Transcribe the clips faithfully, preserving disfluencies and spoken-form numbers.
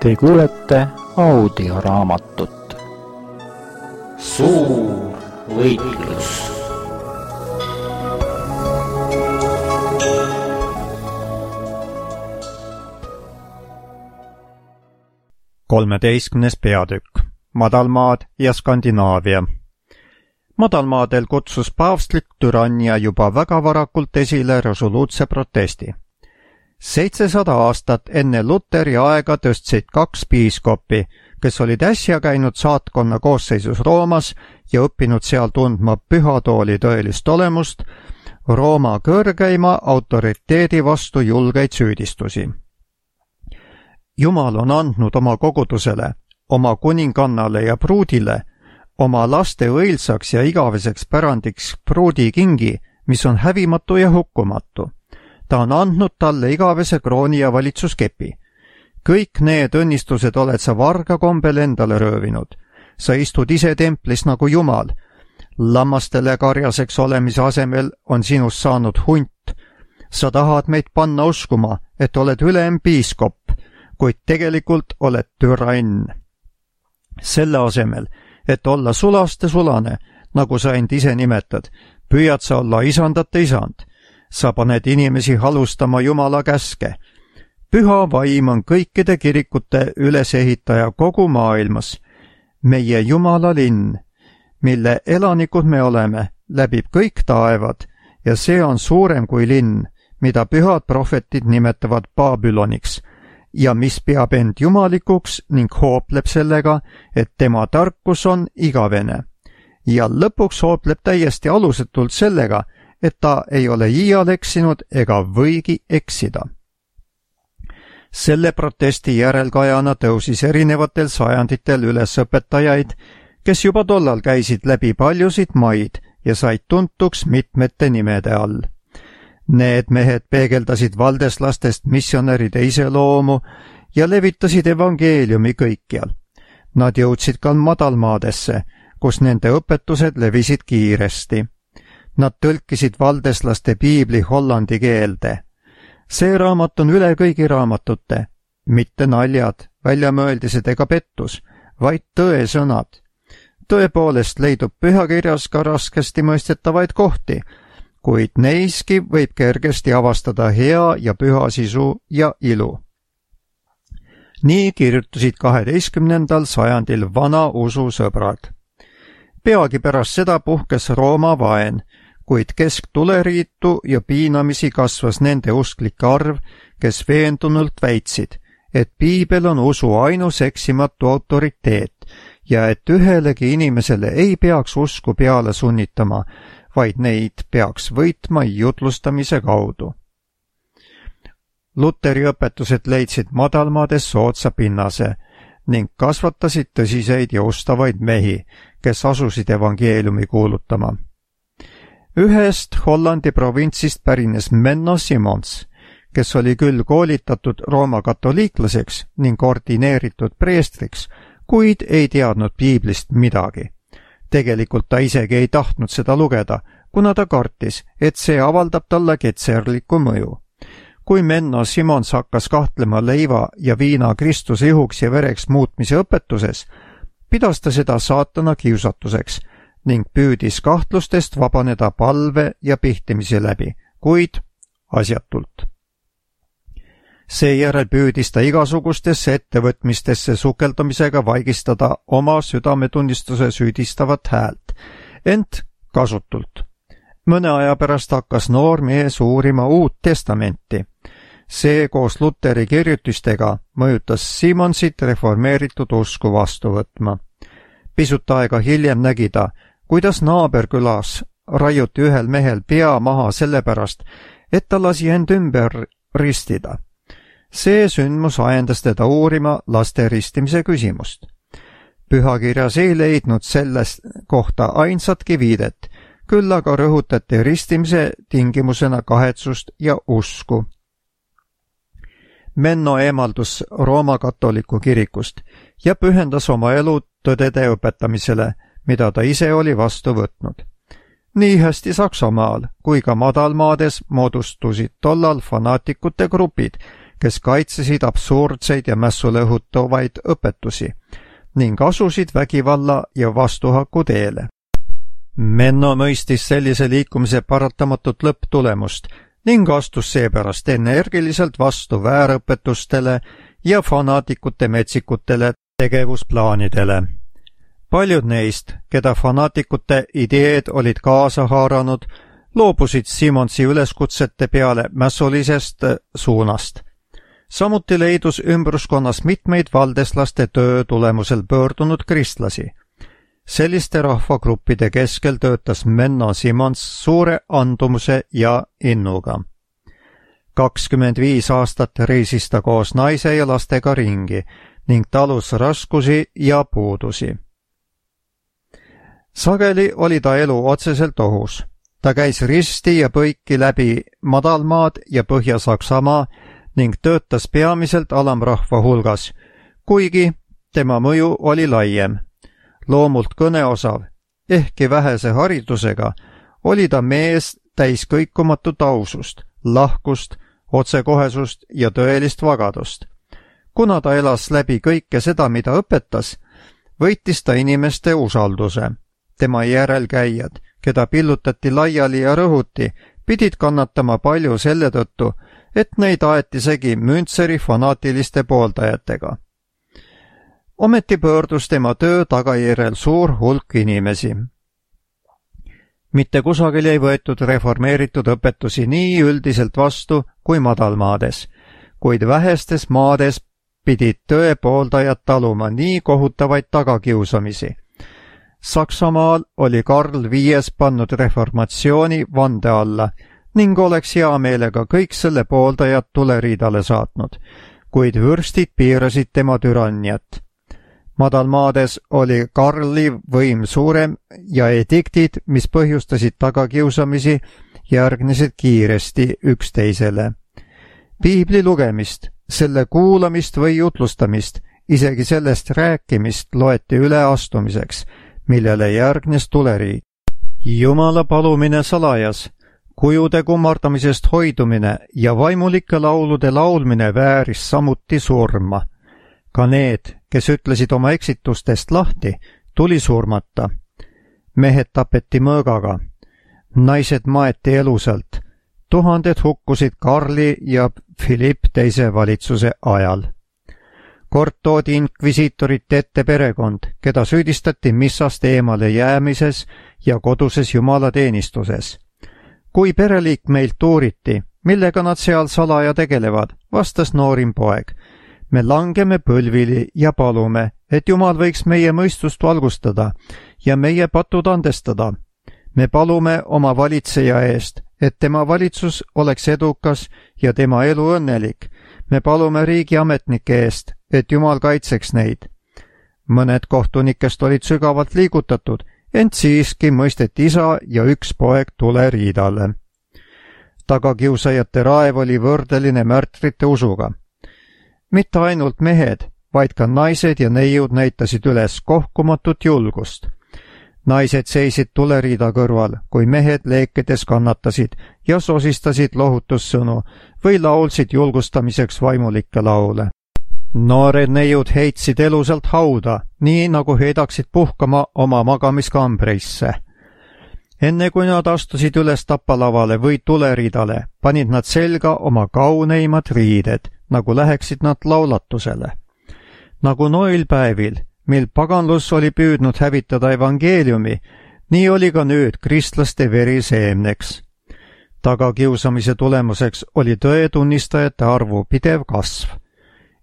Te kuulete audioraamatut Suur võitlus. kolmeteistkümnes peatükk. Madalmaad ja Skandinaavia. Madalmaadel kutsus paavstlik türannia juba väga varakult esile resoluutse protesti. seitsesada aastat enne Luteri aega tõstsid kaks piiskopi, kes olid äsja käinud saatkonna koosseisus Roomas ja õppinud seal tundma pühatooli tõelist olemust, Rooma kõrgeima autoriteedi vastu julgeid süüdistusi. Jumal on andnud oma kogudusele, oma kuningannale ja pruudile, oma laste õilsaks ja igaveseks pärandiks pruudikingi, mis on hävimatu ja hukkumatu. Ta on andnud talle igavese krooni ja valitsuskepi. Kõik need õnnistused oled sa varga kombel endale röövinud. Sa istud ise templis nagu Jumal. Lammastele karjaseks olemise asemel on sinust saanud hunt. Sa tahad meid panna uskuma, et oled ülem piiskop, kuid tegelikult oled türann. Selle asemel, et olla sulaste sulane, nagu sa end ise nimetad, püüad sa olla isandate isand. Sa paned inimesi halustama Jumala käske. Püha vaim on kõikide kirikute ülesehitaja kogu maailmas. Meie Jumala linn, mille elanikud me oleme, läbib kõik taevad ja see on suurem kui linn, mida pühad prohvetid nimetavad Babyloniks ja mis peab end jumalikuks ning hoopleb sellega, et tema tarkus on igavene. Ja lõpuks hoopleb täiesti alusetult sellega, et ta ei ole iial eksinud ega võigi eksida. Selle protesti järelkajana tõusis erinevatel sajanditel üles õpetajaid, kes juba tollal käisid läbi paljusid maid ja said tuntuks mitmete nimede all. Need mehed peegeldasid valdeslastest missionäride iseloomu ja levitasid evangeeliumi kõikjal. Nad jõudsid ka madalmaadesse, kus nende õpetused levisid kiiresti. Nad tõlkisid valdeslaste piibli hollandi keelde. See raamat on üle kõigi raamatute, mitte naljad, väljamõeldised ega pettus, vaid tõesõnad. Tõepoolest leidub pühakirjas ka raskesti mõistetavaid kohti, kuid neiski võib kergesti avastada hea ja püha sisu ja ilu. Nii kirjutasid kaheteistkümnendal sajandil vana usu sõbrad. Peagi pärast seda puhkes Rooma vaen, kuid kesktuleriitu ja piinamisi kasvas nende usklike arv, kes veendunult väitsid, et piibel on usu ainus eksimatu autoriteet ja et ühelegi inimesele ei peaks usku peale sunnitama, vaid neid peaks võitma jutlustamise kaudu. Luteri õpetused leidsid madalmaades soodsa pinnase ning kasvatasid tõsiseid ja ustavaid mehi, kes asusid evangeeliumi kuulutama. Ühest Hollandi provintsist pärines Menno Simons, kes oli küll koolitatud Rooma katoliiklaseks ning ordineeritud preestriks, kuid ei teadnud piiblist midagi. Tegelikult ta isegi ei tahtnud seda lugeda, kuna ta kartis, et see avaldab talle ketserlikku mõju. Kui Menno Simons hakkas kahtlema leiva ja viina Kristuse ihuks ja vereks muutmise õpetuses, pidas ta seda saatana kiusatuseks ning püüdis kahtlustest vabaneda palve ja pihtimise läbi, kuid asjatult. Seejärel püüdis ta igasugustesse ettevõtmistesse sukeldumisega vaigistada oma südametunnistuse süüdistavat häält, ent kasutult. Mõne aja pärast hakkas noor mees uurima Uut Testamenti. See koos Luteri kirjutistega mõjutas Simonsit reformeeritud usku vastu võtma. Pisut aega hiljem nägi ta, kuidas naaberkülas raiuti ühel mehel pea maha sellepärast, et ta lasi end ümber ristida. See sündmus ajendas teda uurima laste ristimise küsimust. Pühakirjas ei leidnud sellest kohta ainsatki viidet, küll aga rõhutati ristimise tingimusena kahetsust ja usku. Menno eemaldus Rooma katoliku kirikust ja pühendas oma elu tõdede õpetamisele, mida ta ise oli vastu võtnud. nii hästi Saksamaal kui ka madalmaades moodustusid tollal fanaatikute grupid, kes kaitsesid absurdseid ja mässule õhutavaid õpetusi ning asusid vägivalla ja vastuhaku teele. Menno mõistis sellise liikumise paratamatut lõpptulemust ning astus seepärast energiliselt vastu väärõpetustele ja fanaatikute metsikutele tegevusplaanidele. Paljud neist, keda fanaatikute ideed olid kaasa haaranud, loobusid Simonsi üleskutsete peale mässulisest suunast. Samuti leidus ümbruskonnas mitmeid valdeslaste töö tulemusel pöördunud kristlasi. Selliste rahvagruppide keskel töötas Menno Simons suure andumuse ja innuga. kakskümmend viis aastat reisis ta koos naise ja lastega ringi ning talus raskusi ja puudusi. Sageli oli ta elu otseselt ohus. Ta käis risti ja põiki läbi Madalmaad ja Põhja-Saksamaa ning töötas peamiselt alamrahva hulgas, kuigi tema mõju oli laiem. Loomult kõneosav, ehkki vähese haridusega, oli ta mees täis kõikumatut ausust, lahkust, otsekohesust ja tõelist vagadust. Kuna ta elas läbi kõike seda, mida õpetas, võitis ta inimeste usalduse. Tema järelkäijad, keda pillutati laiali ja rõhuti, pidid kannatama palju selle tõttu, et neid aeti segi Müntseri fanaatiliste pooldajatega. Ometi pöördus tema töö tagajärjel suur hulk inimesi. Mitte kusagil ei võetud reformeeritud õpetusi nii üldiselt vastu kui madalmaades, kuid vähestes maades pidid tõe pooldajad taluma nii kohutavaid tagakiusamisi. Saksamaal oli Karl Viies pannud reformatsiooni vande alla ning oleks hea meelega kõik selle pooldajad tuleriidale saatnud, kuid vürstid piirasid tema türanniat. Madalmaades oli Karli võim suurem ja ediktid, mis põhjustasid tagakiusamisi, järgnesid kiiresti üksteisele. Piibli lugemist, selle kuulamist või jutlustamist, isegi sellest rääkimist loeti üleastumiseks, millele järgnes tuleriid. Jumala palumine salajas, kujude kummardamisest hoidumine ja vaimulike laulude laulmine vääris samuti surma. Ka need, kes ütlesid oma eksitustest lahti, tuli surmata. Mehed tapeti mõõgaga. Naised maeti elusalt. Tuhanded hukkusid Karli ja Philipp teise valitsuse ajal. Kord toodi inkvisiitorite ette perekond, keda süüdistati missast eemale jäämises ja koduses jumalateenistuses. Kui pereliikmeilt uuriti, millega nad seal salaja tegelevad, vastas noorim poeg. Me langeme põlvili ja palume, et Jumal võiks meie mõistust valgustada ja meie patud andestada. Me palume oma valitseja eest, et tema valitsus oleks edukas ja tema elu õnnelik. Me palume riigi ametnike eest, et Jumal kaitseks neid. Mõned kohtunikest olid sügavalt liigutatud, ent siiski mõisteti isa ja üks poeg tuleriidale. Tagakiusajate raev oli võrdeline märtrite usuga. Mitte ainult mehed, vaid ka naised ja neiud näitasid üles kohkumatut julgust. Naised seisid tuleriida kõrval, kui mehed leekedes kannatasid ja sosistasid lohutussõnu või laulsid julgustamiseks vaimulikke laule. Noored neiud heitsid elusalt hauda, nii nagu heidaksid puhkama oma magamiskambreisse. Enne kui nad astusid üles tapalavale või tuleriidale, panid nad selga oma kauneimad riided, nagu läheksid nad laulatusele. Nagu noilpäevil, mil paganlus oli püüdnud hävitada evangeeliumi, nii oli ka nüüd kristlaste veri seemneks. Tagakiusamise tulemuseks oli tõetunnistajate arvu pidev kasv.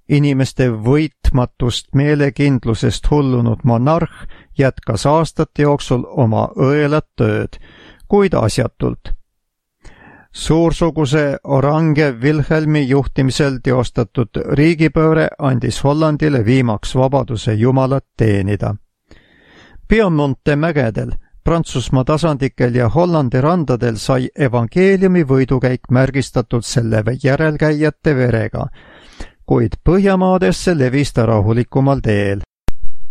Inimeste võitmatust meelekindlusest hullunud monarh jätkas aastate jooksul oma õelat tööd, kuid asjatult. Suursuguse Orange Wilhelmi juhtimisel teostatud riigipööre andis Hollandile viimaks vabaduse Jumalat teenida. Piemonte mägedel, Prantsusmaa tasandikel ja Hollandi randadel sai evangeeliumi võidukäik märgistatud selle järelkäijate verega, kuid Põhjamaadesse levis ta rahulikumal teel.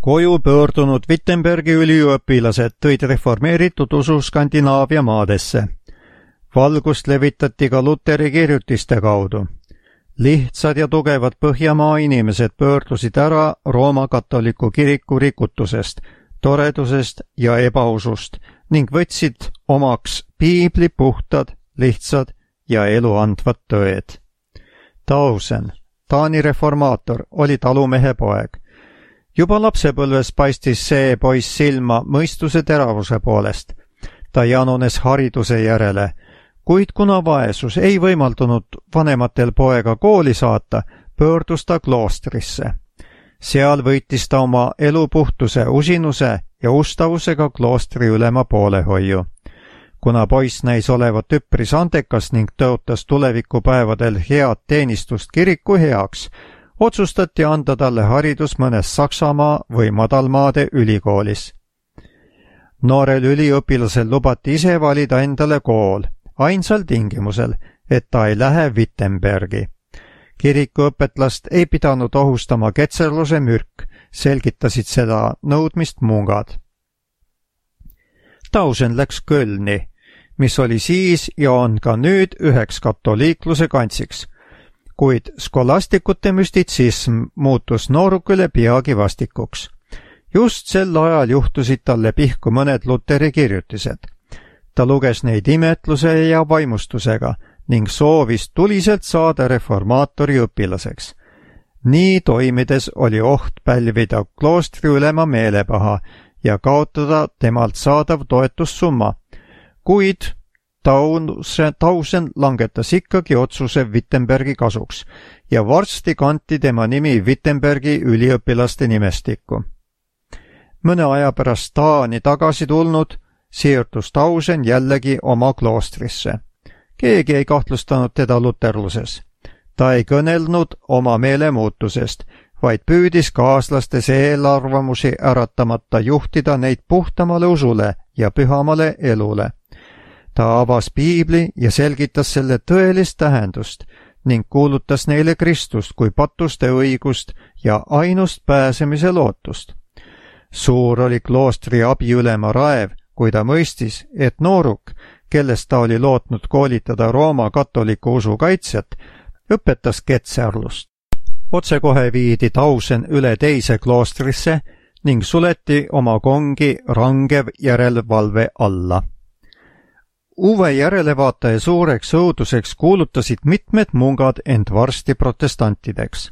koju pöördunud Wittenbergi üliõpilased tõid reformeeritud usu Skandinaavia maadesse. Valgust levitati ka Luteri kirjutiste kaudu. Lihtsad ja tugevad Põhjamaa inimesed pöördusid ära Rooma katoliku kiriku rikutusest, toredusest ja ebausust ning võtsid omaks piibli puhtad, lihtsad ja eluandvad tõed. Tausen, Taani reformaator, oli talumehe poeg. Juba lapsepõlves paistis see poiss silma mõistuse teravuse poolest. Ta janunes hariduse järele, kuid kuna vaesus ei võimaldunud vanematel poega kooli saata, pöördus ta kloostrisse. Seal võitis ta oma elupuhtuse, usinuse ja ustavusega kloostri ülema poolehoiu. Kuna poiss näis olevat üpris andekas ning tõotas tulevikupäevadel head teenistust kiriku heaks, otsustati anda talle haridus mõnes Saksamaa või madalmaade ülikoolis. Noorel üliõpilasel lubati ise valida endale kool, ainsal tingimusel, et ta ei lähe Wittenbergi. Kirikuõpetlast ei pidanud ohustama ketserluse mürk, selgitasid seda nõudmist mungad. Tausen läks Kölni, mis oli siis ja on ka nüüd üheks katoliikluse kantsiks, kuid skolastikute müstitsism muutus noorukile peagi vastikuks. Just sel ajal juhtusid talle pihku mõned Luteri kirjutised. Ta luges neid imetluse ja vaimustusega ning soovis tuliselt saada reformaatori õpilaseks. Nii toimides oli oht pälvida kloostri ülema meelepaha ja kaotada temalt saadav toetussumma, kuid Tausen, Tausen langetas ikkagi otsuse Wittenbergi kasuks ja varsti kanti tema nimi Wittenbergi üliõpilaste nimestikku. Mõne aja pärast Taani tagasi tulnud, siirdus Tausen jällegi oma kloostrisse. Keegi ei kahtlustanud teda luterluses. Ta ei kõnelnud oma meelemuutusest, vaid püüdis kaaslastes eelarvamusi äratamata juhtida neid puhtamale usule ja pühamale elule. Ta avas piibli ja selgitas selle tõelist tähendust ning kuulutas neile Kristust kui patuste õigust ja ainust pääsemise lootust. Suur oli kloostri abiülema raev, kui ta mõistis, et nooruk, kellest ta oli lootnud koolitada Rooma katoliku usu kaitsjat, õpetas ketserlust. Otsekohe viidi Tausen üle teise kloostrisse ning suleti oma kongi rangev järelevalve alla. Uue järelevaataja suureks õuduseks kuulutasid mitmed mungad end varsti protestantideks.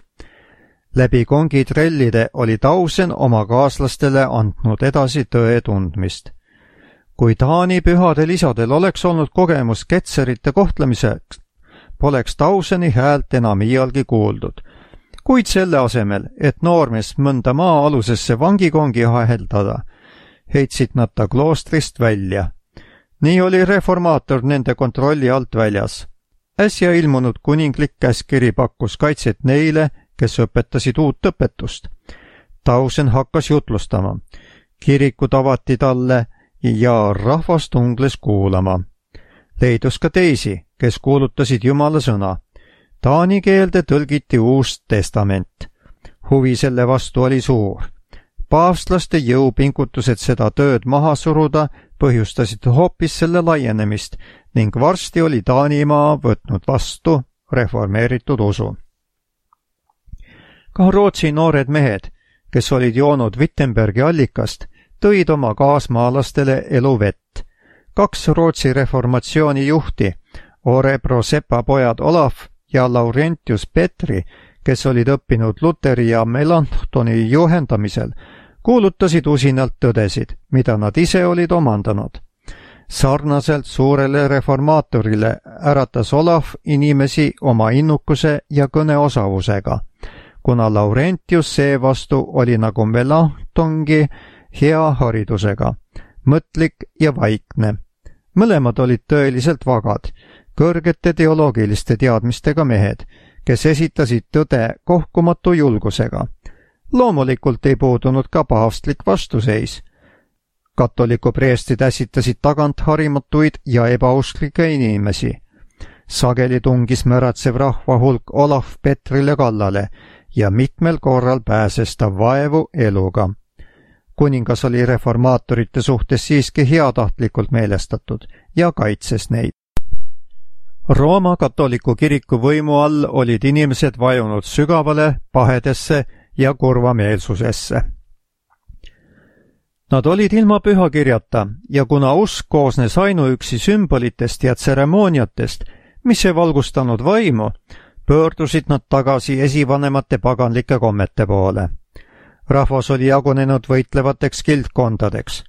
Läbi kongitrellide oli Tausen oma kaaslastele andnud edasi tõe tundmist. Kui Taani pühadel isadel oleks olnud kogemus ketserite kohtlemiseks, poleks Tauseni häält enam iialgi kuuldud, kuid selle asemel, et noormees mõnda maa-alusesse vangikongi aheldada, heitsid nad ta kloostrist välja. Nii oli reformaator nende kontrolli alt väljas. Äsja ilmunud kuninglik käskiri pakkus kaitset neile, kes õpetasid uut õpetust. Tausen hakkas jutlustama. Kirikud avati talle ja rahvas tungles kuulama. Leidus ka teisi, kes kuulutasid Jumala sõna. Taani keelde tõlgiti uus testament. Huvi selle vastu oli suur. Paavstlaste jõupingutused seda tööd maha suruda põhjustasid hoopis selle laienemist ning varsti oli Taanimaa võtnud vastu reformeeritud usu. Ka Rootsi noored mehed, kes olid joonud Wittenbergi allikast, tõid oma kaasmaalastele eluvett. Kaks Rootsi reformatsiooni juhti, Orebro sepapojad Olaf ja Laurentius Petri, kes olid õppinud Luteri ja Melanchtoni juhendamisel, kuulutasid usinalt tõdesid, mida nad ise olid omandanud. Sarnaselt suurele reformaatorile äratas Olaf inimesi oma innukuse ja kõneosavusega, kuna Laurentius seevastu oli nagu Melanchthongi hea haridusega, mõtlik ja vaikne. Mõlemad olid tõeliselt vagad, kõrgete teoloogiliste teadmistega mehed, kes esitasid tõde kohkumatu julgusega. Loomulikult ei puudunud ka paavstlik vastuseis. Katoliku preestid ässitasid tagant harimatuid ja ebausklikke inimesi. Sageli tungis märatsev rahva hulk Olaf Petrile kallale ja mitmel korral pääses ta vaevu eluga. kuningas oli reformaatorite suhtes siiski heatahtlikult meelestatud ja kaitses neid. Rooma katoliku kiriku võimu all olid inimesed vajunud sügavale pahedesse ja kurvameelsusesse. Nad olid ilma pühakirjata ja kuna usk koosnes ainuüksi sümbolitest ja tseremooniatest, mis ei valgustanud vaimu, pöördusid nad tagasi esivanemate paganlike kommete poole. Rahvas oli jagunenud võitlevateks kildkondadeks.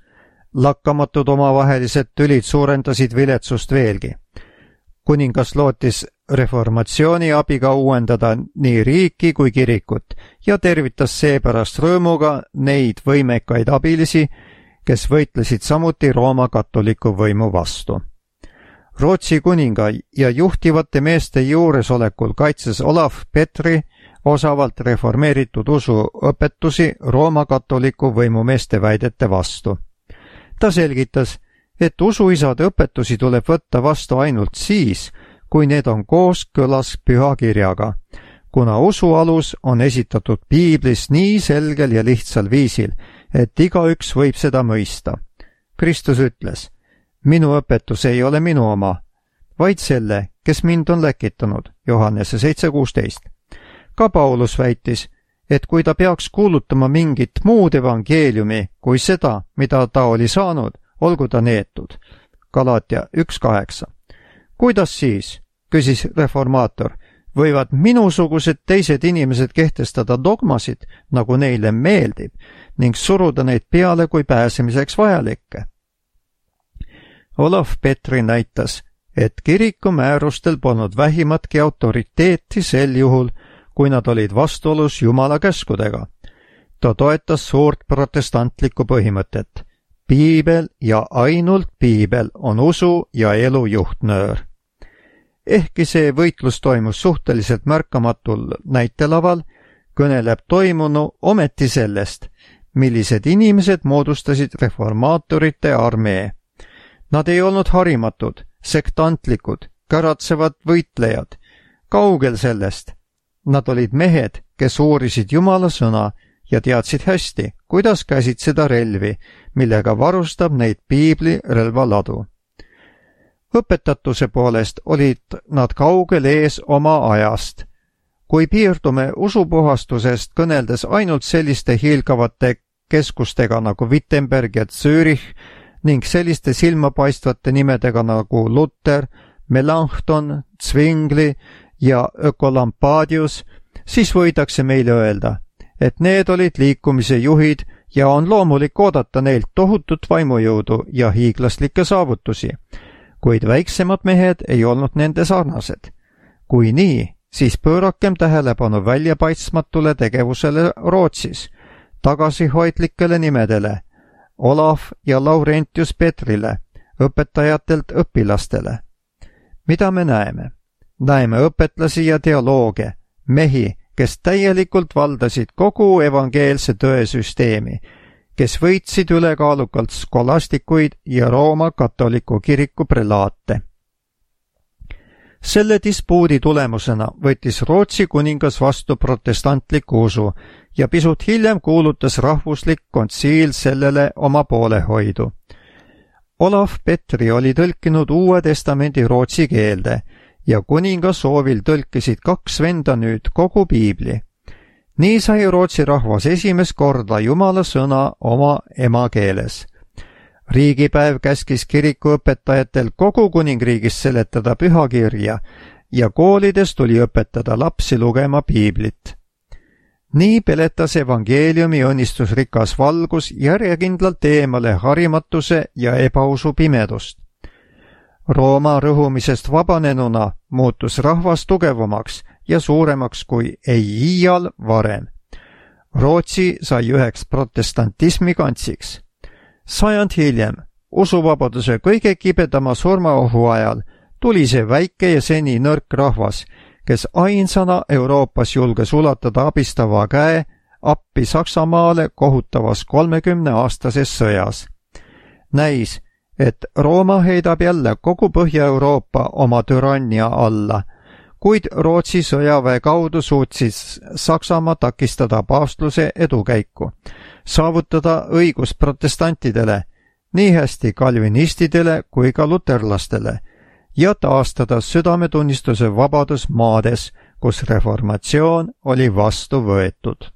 Lakkamatud omavahelised tülid suurendasid viletsust veelgi. Kuningas lootis reformatsiooni abiga uuendada nii riiki kui kirikut ja tervitas seepärast rõõmuga neid võimekaid abilisi, kes võitlesid samuti Rooma katoliku võimu vastu. Rootsi kuninga ja juhtivate meeste juuresolekul kaitses Olav Petri osavalt reformeeritud usu õpetusi Rooma katoliku võimumeeste väidete vastu. Ta selgitas, et usuisade õpetusi tuleb võtta vastu ainult siis, kui need on kooskõlas pühakirjaga, kuna usu alus on esitatud piiblis nii selgel ja lihtsal viisil, et igaüks võib seda mõista. Kristus ütles, minu õpetus ei ole minu oma, vaid selle, kes mind on läkitanud, Johannese seitse kuusteist. Ka Paulus väitis, et kui ta peaks kuulutama mingit muud evangeeliumi kui seda, mida ta oli saanud, olgu ta neetud. Galatia üks kaheksa. Kuidas siis, küsis reformaator, võivad minusugused teised inimesed kehtestada dogmasid, nagu neile meeldib, ning suruda neid peale kui pääsemiseks vajalikke? Olav Petri näitas, et kiriku määrustel polnud vähimatki autoriteeti sel juhul, kui nad olid vastuolus Jumala käskudega. Ta toetas suurt protestantlikku põhimõtet. Piibel ja ainult piibel on usu ja elu juhtnöör. Ehkki see võitlus toimus suhteliselt märkamatul näitelaval, kõneleb toimunu ometi sellest, millised inimesed moodustasid reformaatorite armee. Nad ei olnud harimatud, sektantlikud, käratsevad võitlejad. Kaugel sellest. Nad olid mehed, kes uurisid Jumala sõna ja teadsid hästi, kuidas käsitseda relvi, millega varustab neid piibli relvaladu. Õpetatuse poolest olid nad kaugel ees oma ajast. Kui piirdume usupuhastusest kõneldes ainult selliste hiilgavate keskustega nagu Wittenberg ja Zürich ning selliste silmapaistvate nimedega nagu Luther, Melanchthon, Zwingli ja Ökolampadius, siis võidakse meile öelda, et need olid liikumise juhid ja on loomulik oodata neilt tohutut vaimujõudu ja hiiglaslikke saavutusi, kuid väiksemad mehed ei olnud nende sarnased. Kui nii, siis pöörakem tähelepanu väljapaistmatule tegevusele Rootsis, tagasihoidlikele nimedele, Olav ja Laurentius Petrile, õpetajatelt õpilastele. Mida me näeme? Näeme õpetlasi ja teolooge, mehi, kes täielikult valdasid kogu evangeelse tõesüsteemi, kes võitsid ülekaalukalt skolastikuid ja Rooma katoliku kiriku prelaate. Selle dispuudi tulemusena võttis Rootsi kuningas vastu protestantliku usu ja pisut hiljem kuulutas rahvuslik kontsiil sellele oma poolehoidu. Olav Petri oli tõlkinud Uue Testamendi rootsi keelde ja kuninga soovil tõlkisid kaks venda nüüd kogu piibli. Nii sai Rootsi rahvas esimest korda Jumala sõna oma emakeeles. Riigipäev käskis kirikuõpetajatel kogu kuningriigis seletada pühakirja ja koolides tuli õpetada lapsi lugema piiblit. Nii peletas evangeeliumi õnnistusrikas valgus järjekindlalt eemale harimatuse ja ebausu pimedust. Rooma rõhumisest vabanenuna muutus rahvas tugevamaks ja suuremaks kui ei iial varem. Rootsi sai üheks protestantismi kantsiks. Sajand hiljem, usuvabaduse kõige kibedama surmaohu ajal, tuli see väike ja seni nõrk rahvas, kes ainsana Euroopas julges ulatada abistava käe appi Saksamaale kohutavas kolmekümneaastases sõjas. Näis, et Rooma heidab jälle kogu Põhja-Euroopa oma türannia alla, kuid Rootsi sõjaväe kaudu suutsis Saksamaa takistada paavstluse edukäiku, saavutada õigus protestantidele, nii hästi kalvinistidele kui ka luterlastele, ja taastada südametunnistuse vabadus maades, kus reformatsioon oli vastu võetud.